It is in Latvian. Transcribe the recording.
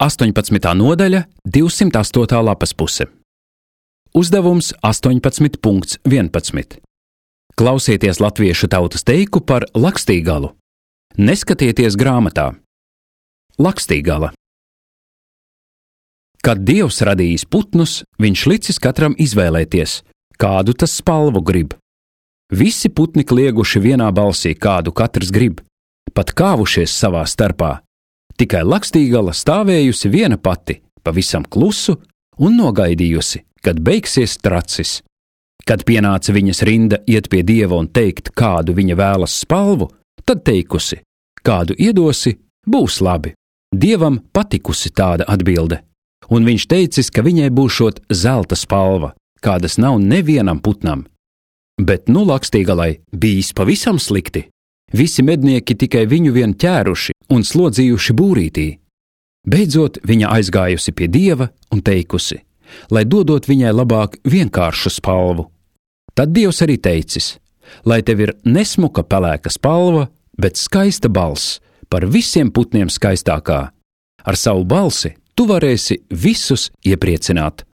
18. nodaļa, 208. lapas puse. Uzdevums 18.11. Klausieties latviešu tautas teiku par Lakstīgalu. Neskatieties grāmatā. Lakstīgala. Kad Dievs radījis putnus, viņš licis katram izvēlēties, kādu tas spalvu grib. Visi putni klieguši vienā balsī, kādu katrs grib, pat kāvušies savā starpā. Tikai Lakstīgala stāvējusi viena pati, pavisam klusu un nogaidījusi, kad beigsies tracis. Kad pienāca viņas rinda iet pie Dieva un teikt, kādu viņa vēlas spalvu, tad teikusi, kādu iedosi, būs labi. Dievam patikusi tāda atbilde, un viņš teicis, ka viņai būšot zelta spalva, kādas nav nevienam putnam. Bet nu Lakstīgalai bijis pavisam slikti. Visi mednieki tikai viņu vien ķēruši un slodzījuši būrītī. Beidzot viņa aizgājusi pie Dieva un teikusi, lai dodot viņai labāk vienkāršu spalvu. Tad Dievs arī teicis, lai tev ir nesmuka pelēka spalva, bet skaista balss, par visiem putniem skaistākā. Ar savu balsi tu varēsi visus iepriecināt.